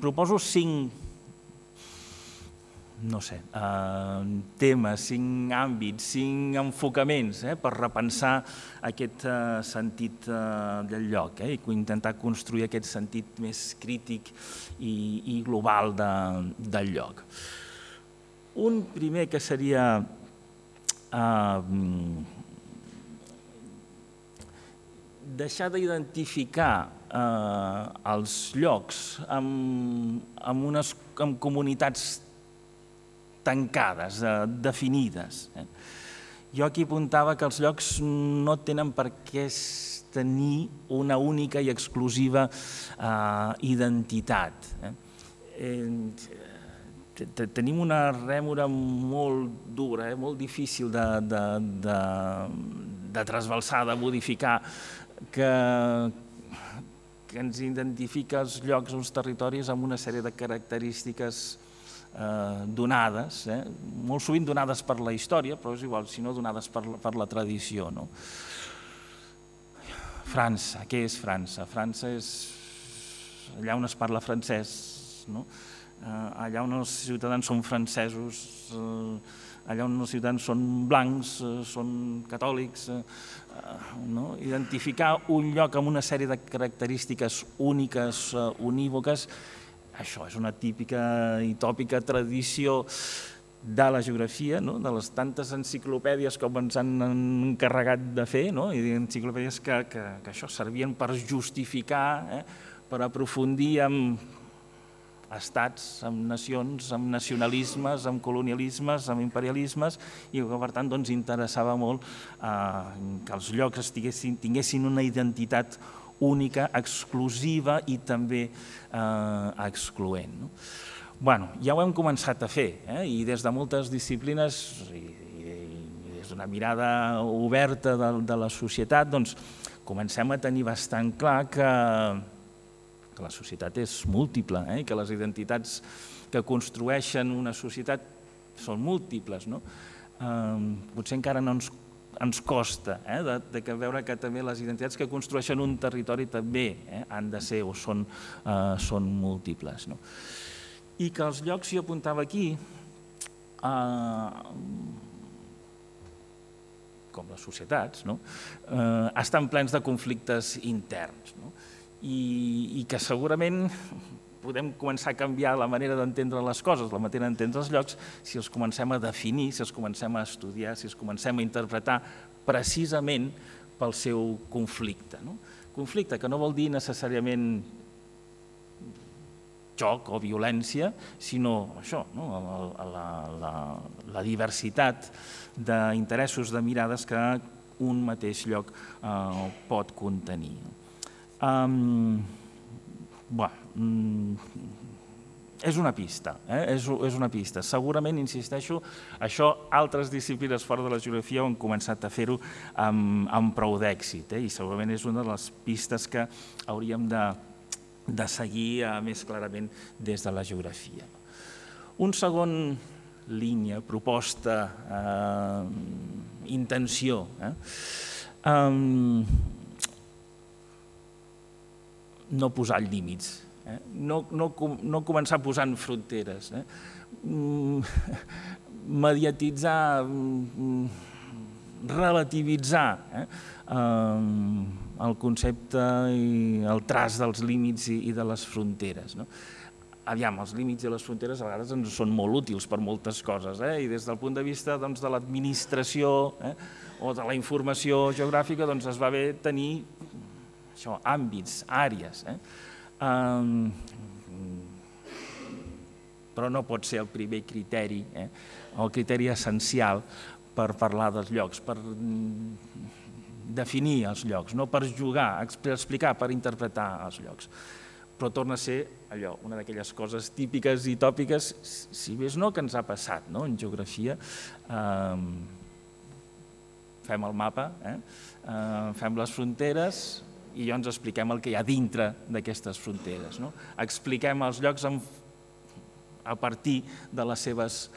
proposo cinc no sé, eh, temes, cinc àmbits, cinc enfocaments eh, per repensar aquest eh, sentit eh, del lloc eh, i intentar construir aquest sentit més crític i, i global de, del lloc. Un primer que seria eh, deixar d'identificar eh, els llocs amb, amb, unes, amb comunitats tancades, eh, definides. Eh. Jo aquí apuntava que els llocs no tenen per què tenir una única i exclusiva identitat. Tenim una rèmora molt dura, molt difícil de trasbalsar, de modificar, que ens identifica els llocs, uns territoris amb una sèrie de característiques donades, molt sovint donades per la història, però és igual, si no donades per la tradició. França, què és França? França és allà on es parla francès, allà on els ciutadans són francesos, allà on els ciutadans són blancs, són catòlics. Identificar un lloc amb una sèrie de característiques úniques, unívoques, això és una típica i tòpica tradició de la geografia, de les tantes enciclopèdies com ens han encarregat de fer, i enciclopèdies que això servien per justificar, per aprofundir en estats, en nacions, en nacionalismes, en colonialismes, en imperialismes, i que per tant interessava molt que els llocs tinguessin una identitat única, exclusiva i també excloent. Ja ho hem començat a fer, i des de moltes disciplines i des d'una mirada oberta de la societat comencem a tenir bastant clar que la societat és múltiple, que les identitats que construeixen una societat són múltiples. Potser encara no ens ens costa de veure que també les identitats que construeixen un territori també han de ser o són múltiples. I que els llocs, jo apuntava aquí, com les societats, estan plens de conflictes interns i que segurament podem començar a canviar la manera d'entendre les coses, la manera d'entendre els llocs, si els comencem a definir, si els comencem a estudiar, si els comencem a interpretar precisament pel seu conflicte. Conflicte que no vol dir necessàriament joc o violència, sinó això, la diversitat d'interessos, de mirades que un mateix lloc pot contenir. Bé, és una pista, és una pista. Segurament, insisteixo, això altres disciplines fora de la geografia han començat a fer-ho amb prou d'èxit i segurament és una de les pistes que hauríem de seguir més clarament des de la geografia. Un segon línia, proposta, intenció. No posar límits, no començar posant fronteres, mediatitzar, relativitzar el concepte i el traç dels límits i de les fronteres. Aviam, els límits i les fronteres a vegades ens són molt útils per moltes coses i des del punt de vista de l'administració o de la informació geogràfica es va bé tenir àmbits, àrees, però no pot ser el primer criteri o el criteri essencial per parlar dels llocs, per definir els llocs, no per jugar, per explicar, per interpretar els llocs. Però torna a ser allò, una d'aquelles coses típiques i tòpiques, si més no que ens ha passat en geografia. Fem el mapa, fem les fronteres i llavors expliquem el que hi ha dintre d'aquestes fronteres. Expliquem els llocs a partir de les seves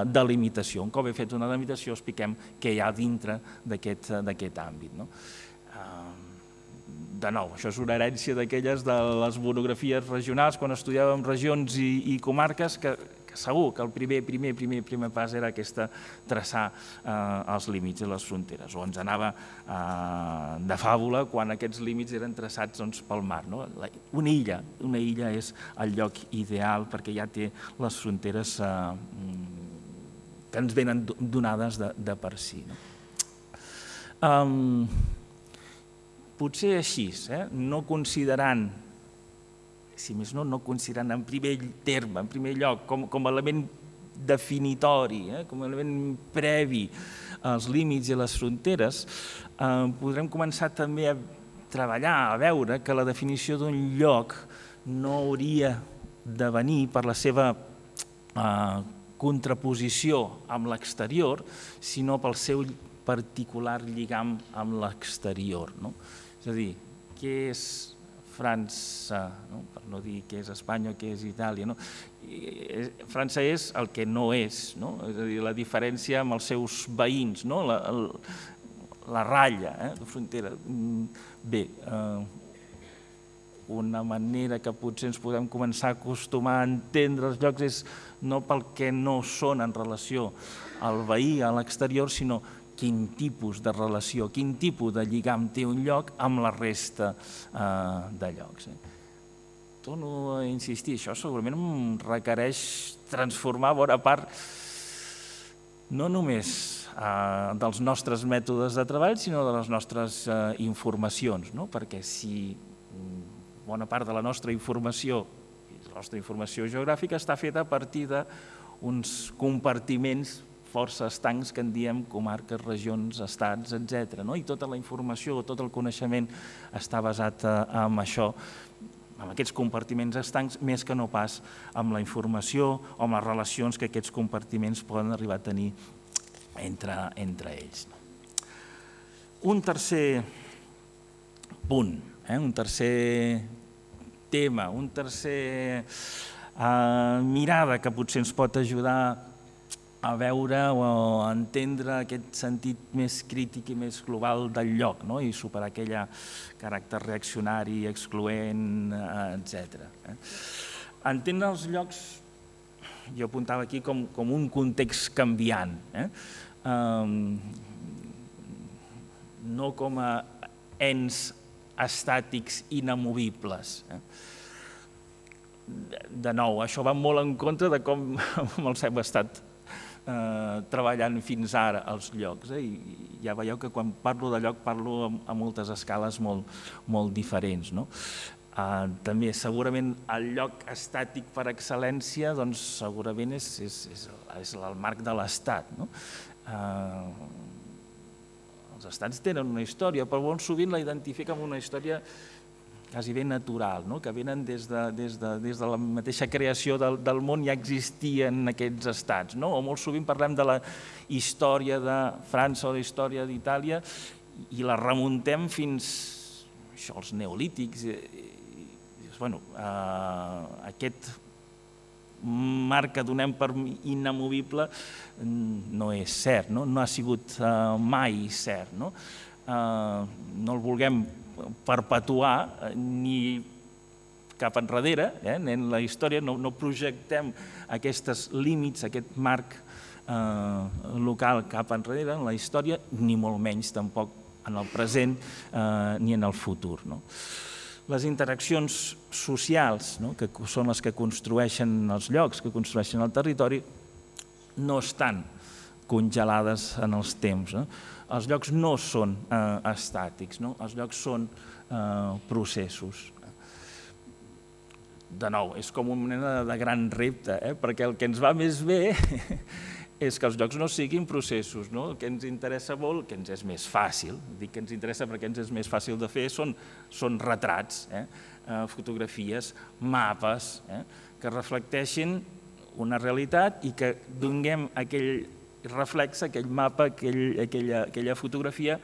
delimitacions. Un cop he fet una delimitació, expliquem què hi ha dintre d'aquest àmbit. De nou, això és una herència d'aquelles de les monografies regionals, quan estudiàvem regions i comarques, que segur que el primer, primer, primer, primer pas era aquesta, traçar els límits i les fronteres. O ens anava de fàbula quan aquests límits eren traçats pel mar. Una illa, una illa és el lloc ideal perquè ja té les fronteres que ens venen donades de per si. Potser així, no considerant, si més no, no considerant en primer terme, en primer lloc, com a element definitori, com a element previ als límits i les fronteres, podrem començar també a treballar, a veure que la definició d'un lloc no hauria de venir per la seva eh, contraposició amb l'exterior, sinó pel seu particular lligam amb l'exterior. No? És a dir, què és França, no? Per no dir què és Espanya o què és Itàlia. No? França és el que no és, no? És a dir, la diferència amb els seus veïns, no? la, el, la ratlla eh? de frontera. Bé, eh, una manera que potser ens podem començar a acostumar a entendre els llocs és no pel que no són en relació al veí, a l'exterior, sinó quin tipus de relació, quin tipus de lligam té un lloc amb la resta eh, de llocs. Eh? Torno a insistir, això segurament em requereix transformar bona part no només eh, dels nostres mètodes de treball, sinó de les nostres eh, informacions, no? Perquè si bona part de la nostra informació, la nostra informació geogràfica està feta a partir d'uns compartiments força estancs que en diem comarques, regions, estats, etcètera. No? I tota la informació, tot el coneixement està basat en això, en aquests compartiments estancs, més que no pas amb la informació o amb les relacions que aquests compartiments poden arribar a tenir entre, entre ells. Un tercer punt, eh? un tercer tema, un tercer eh, mirada que potser ens pot ajudar a veure o a entendre aquest sentit més crític i més global del lloc, no? I superar aquell caràcter reaccionari, excloent, etcètera. Entendre els llocs, jo apuntava aquí, com, com un context canviant, eh? um, no com a ens estàtics inamovibles. Eh? De, de nou, això va molt en contra de com els hem estat Eh, treballant fins ara als llocs. Eh? I ja veieu que quan parlo de lloc parlo a, a moltes escales molt, molt diferents. No? Eh, també segurament el lloc estàtic per excel·lència doncs, segurament és, és, és, és el marc de l'Estat. No? Eh, els estats tenen una història, però molt sovint la identifiquen amb una història quasi ben natural, no? Que venen des de, des, de, des de la mateixa creació del, del món ja existien aquests estats. No? O molt sovint parlem de la història de França o la història d'Itàlia i la remuntem fins això, als neolítics. I, i, bueno, eh, aquest marc que donem per inamovible no és cert, no, no ha sigut eh, mai cert. No, eh, no el vulguem perpetuar ni cap enrere, eh? En la història no, no projectem aquests límits, aquest marc eh, local cap enrere en la història, ni molt menys tampoc en el present eh, ni en el futur. No? Les interaccions socials, no? Que són les que construeixen els llocs, que construeixen el territori, no estan congelades en els temps. No? Els llocs no són eh, estàtics, no? Els llocs són eh, processos. De nou, és com una mena de gran repte, eh? Perquè el que ens va més bé és que els llocs no siguin processos. No? El que ens interessa molt, que ens és més fàcil, dic que ens interessa perquè ens és més fàcil de fer, són, són retrats, eh? Eh, fotografies, mapes, eh? Que reflecteixin una realitat i que donem aquell reflex, aquell mapa, aquell, aquella, aquella fotografia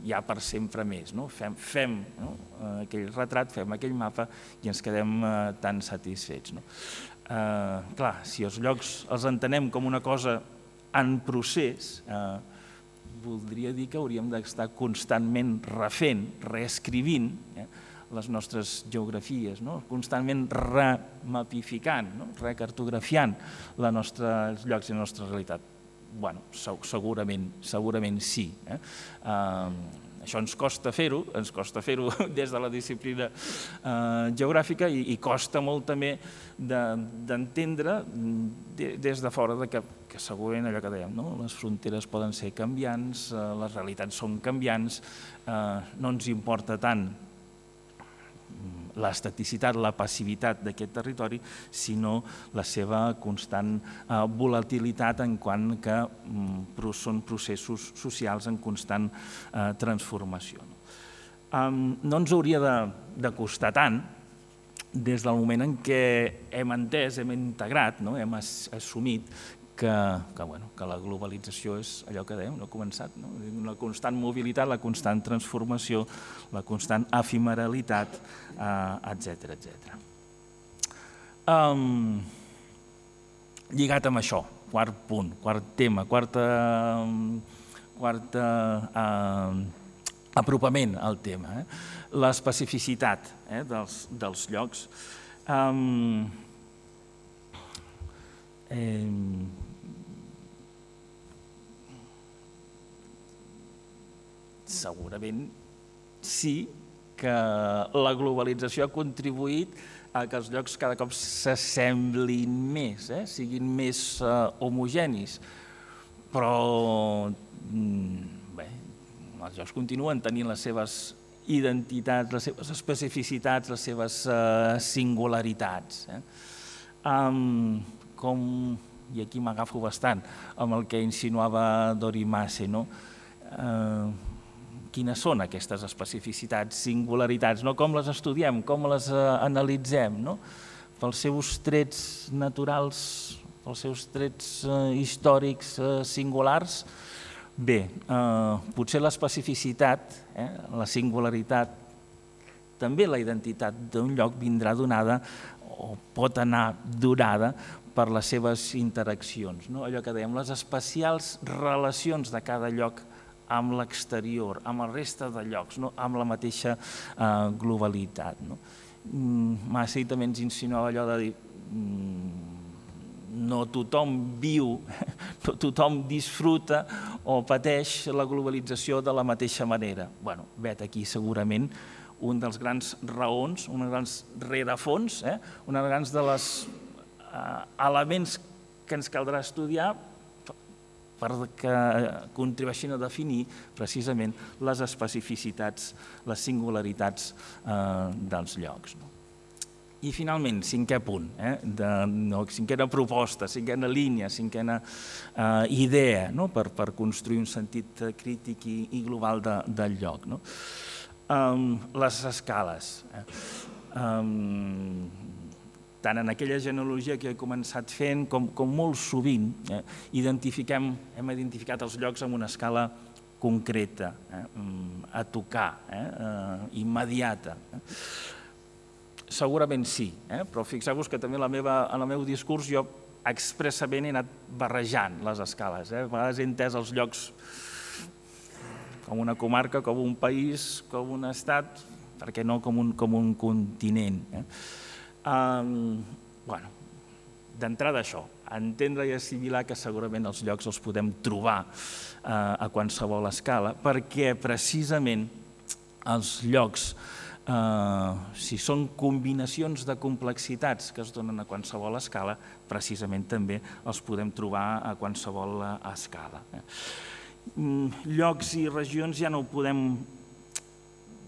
ja per sempre més. No? Fem, fem no? aquell retrat, fem aquell mapa i ens quedem eh, tan satisfets. No? Eh, clar, si els llocs els entenem com una cosa en procés, eh, voldria dir que hauríem d'estar constantment refent, reescrivint eh, les nostres geografies, no? Constantment remapificant, no? Recartografiant la nostra, els llocs i la nostra realitat. Bueno, segurament, segurament sí. Eh? Uh, això ens costa fer-ho, ens costa fer-ho des de la disciplina uh, geogràfica i, i costa molt també d'entendre de, des de fora de que, que segurament allò que dèiem, no? Les fronteres poden ser canviants, uh, les realitats són canviants, uh, no ens importa tant l'estaticitat, la passivitat d'aquest territori, sinó la seva constant eh, volatilitat en quant que mm, són processos socials en constant eh, transformació. No? no ens hauria de costar tant des del moment en què hem entès, hem integrat, hem assumit que la globalització és allò que dèiem, no ha començat, la constant mobilitat, la constant transformació, la constant efemeralitat, etcètera, etcètera. Lligat amb això, quart punt, quart tema, quarta apropament al tema, l'especificitat dels llocs. Segurament sí que la globalització ha contribuït a que els llocs cada cop s'assemblin més, siguin més homogenis, però bé, els llocs continuen tenint les seves identitats, les seves especificitats, les seves singularitats. Com, i aquí m'agafo bastant amb el que insinuava Dori Masse, quines són aquestes especificitats, singularitats, com les estudiem, com les analitzem, pels seus trets naturals, pels seus trets històrics singulars. Bé, potser l'especificitat, la singularitat, també la identitat d'un lloc vindrà donada o pot anar donada per les seves interaccions. Allò que dèiem, les especials relacions de cada lloc amb l'exterior, amb la resta de llocs, amb la mateixa globalitat. Massey també ens insinuava allò de dir no tothom viu, no tothom disfruta o pateix la globalització de la mateixa manera. Bé, vet aquí segurament un dels grans raons, un dels grans rerefons, un dels grans dels elements que ens caldrà estudiar perquè contribueixin a definir precisament les especificitats, les singularitats dels llocs. I finalment, cinquè punt, cinquena proposta, cinquena línia, cinquena idea per construir un sentit crític i global del lloc. Les escales. Tant en aquella genealogia que he començat fent com molt sovint identifiquem, hem identificat els llocs amb una escala concreta, a tocar, immediata. Segurament sí, però fixeu-vos que també en el meu discurs jo expressament he anat barrejant les escales. A vegades he entès els llocs com una comarca, com un país, com un estat, per què no com un continent. D'entrada això, entendre i assimilar que segurament els llocs els podem trobar a qualsevol escala, perquè precisament els llocs, si són combinacions de complexitats que es donen a qualsevol escala, precisament també els podem trobar a qualsevol escala. Llocs i regions ja no ho podem,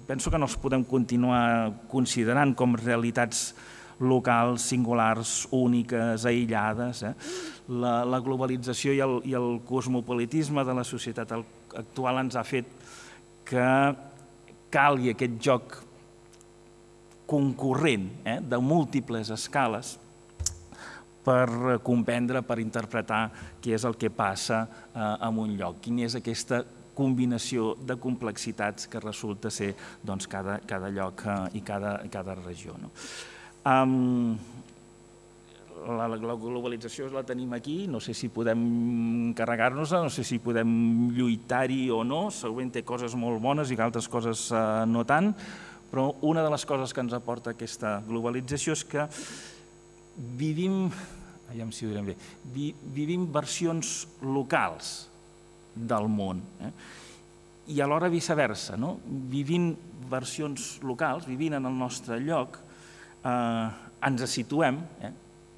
penso que no els podem continuar considerant com realitats locals, singulars, úniques, aïllades. La globalització i el cosmopolitisme de la societat actual ens ha fet que calgui aquest joc concurrent de múltiples escales per comprendre, per interpretar què és el que passa en un lloc, quina és aquesta combinació de complexitats que resulta ser cada lloc i cada regió. La globalització la tenim aquí, no sé si podem carregar-nos-la, no sé si podem lluitar-hi o no, segurament té coses molt bones i altres coses no tant, però una de les coses que ens aporta aquesta globalització és que vivim, aviam si ho direm bé, vivim versions locals del món i alhora viceversa, vivint versions locals, vivint en el nostre lloc, ens situem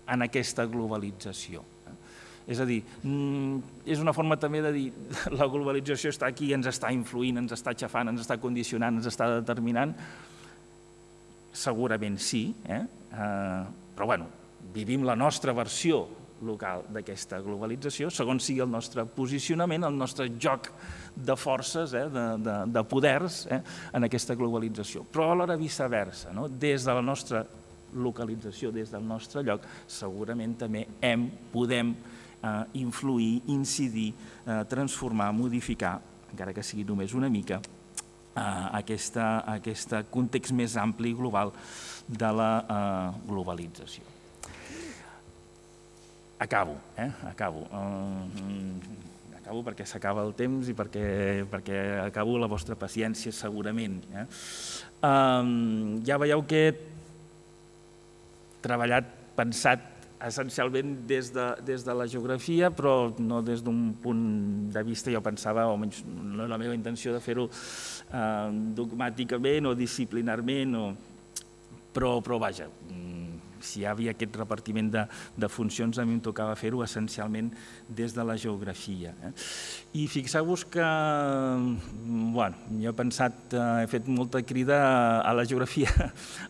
en aquesta globalització. És a dir, és una forma també de dir la globalització està aquí, ens està influint, ens està aixafant, ens està condicionant, ens està determinant. Segurament sí, però bueno, vivim la nostra versió local d'aquesta globalització, segons sigui el nostre posicionament, el nostre joc de forces, eh, de, de, de poders eh, en aquesta globalització. Però alhora viceversa, no? Des de la nostra localització, des del nostre lloc, segurament també hem, podem eh, influir, incidir, eh, transformar, modificar, encara que sigui només una mica, eh, aquesta, aquest context més ampli i global de la eh, globalització. Acabo, eh? Acabo. Uh, acabo perquè s'acaba el temps i perquè, perquè acabo la vostra paciència segurament. Eh? Uh, ja veieu que he treballat, pensat essencialment des de, des de la geografia, però no des d'un punt de vista, jo pensava, o almenys no és la meva intenció de fer-ho uh, dogmàticament o disciplinarment, o... però, però vaja, si hi havia aquest repartiment de, de funcions, a mi em tocava fer-ho essencialment des de la geografia. Eh? I fixeu-vos que, bueno, jo he pensat, he fet molta crida a la geografia,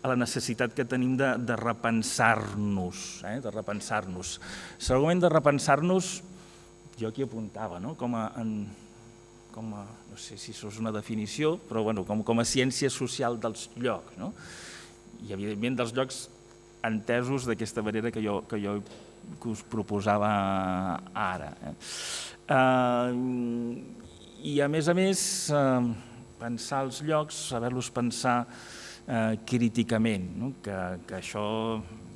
a la necessitat que tenim de, de repensar-nos, eh? de repensar-nos. Segurament de repensar-nos, jo aquí apuntava, no? com a... En, com a, no sé si això és una definició, però bueno, com, com a ciència social dels llocs, no? I evidentment dels llocs entesos d'aquesta manera que jo, que jo que us proposava ara. Eh? Uh, I a més a més, uh, pensar els llocs, saber-los pensar uh, críticament, no? que, que això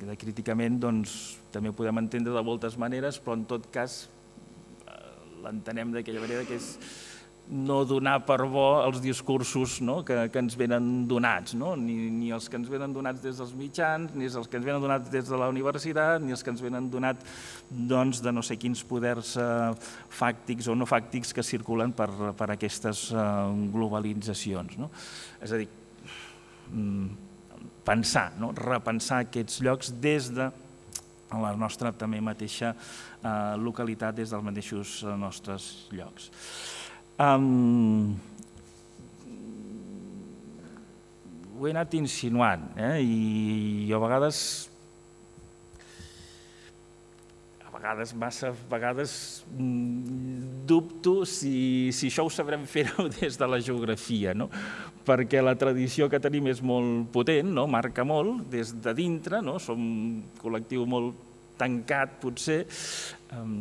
de críticament doncs, també ho podem entendre de moltes maneres, però en tot cas uh, l'entenem d'aquella manera que és no donar per bo els discursos, no? que, que ens venen donats, no? ni, ni els que ens venen donats des dels mitjans, ni els que ens venen donats des de la universitat, ni els que ens venen donats doncs, de no sé quins poders eh, fàctics o no fàctics que circulen per, per aquestes eh, globalitzacions. No? És a dir, pensar, no? repensar aquests llocs des de la nostra també mateixa eh, localitat, des dels mateixos eh, nostres llocs. Um, ho he anat insinuant eh? I jo a vegades a vegades, massa vegades dubto si, si això ho sabrem fer-ho des de la geografia, no? Perquè la tradició que tenim és molt potent, no? Marca molt des de dintre, no? Som un col·lectiu molt tancat potser. Um,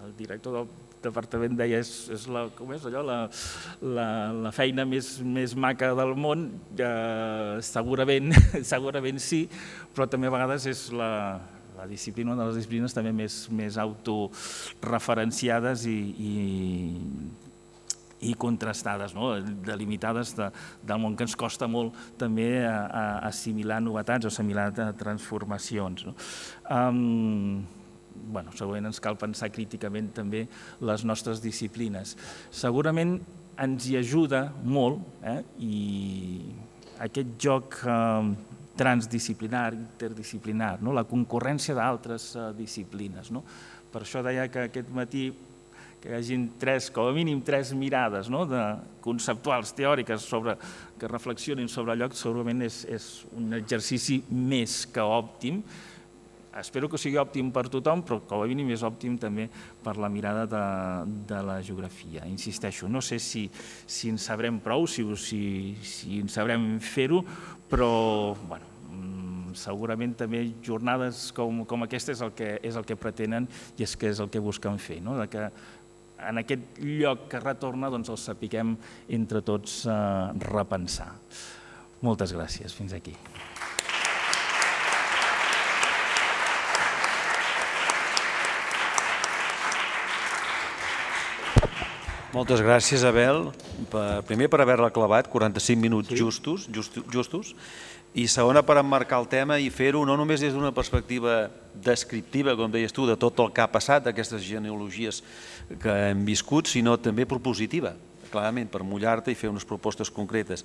el director del departament deia és, és, la, com és allò, la, la, la feina més, més maca del món, eh, segurament, segurament sí, però també a vegades és la, la disciplina, una de les disciplines també més, més autoreferenciades i, i, i contrastades, no? Delimitades de, del món, que ens costa molt també a, a assimilar novetats o assimilar transformacions. No? Um, Bueno, segurament ens cal pensar críticament també les nostres disciplines. Segurament ens hi ajuda molt eh? I aquest joc eh, transdisciplinar, interdisciplinar, no? La concurrència d'altres eh, disciplines. No? Per això deia que aquest matí que hi hagin tres, com a mínim tres mirades, no? de conceptuals, teòriques, sobre, que reflexionin sobre el lloc, segurament és, és un exercici més que òptim. Espero que sigui òptim per tothom, però com a mínim és òptim també per la mirada de, de la geografia. Insisteixo, no sé si, si en sabrem prou, si, si, si en sabrem fer-ho, però bueno, segurament també jornades com, com aquesta és el, que, és el que pretenen i és que és el que busquen fer, no? De que en aquest lloc que retorna doncs el sapiguem entre tots eh, repensar. Moltes gràcies. Fins aquí. Moltes gràcies, Abel, primer per haver-la clavat, quaranta-cinc minuts justos, justos, i segona per emmarcar el tema i fer-ho no només des d'una perspectiva descriptiva, com deies tu, de tot el que ha passat, d'aquestes genealogies que hem viscut, sinó també propositiva, clarament, per mullar-te i fer unes propostes concretes.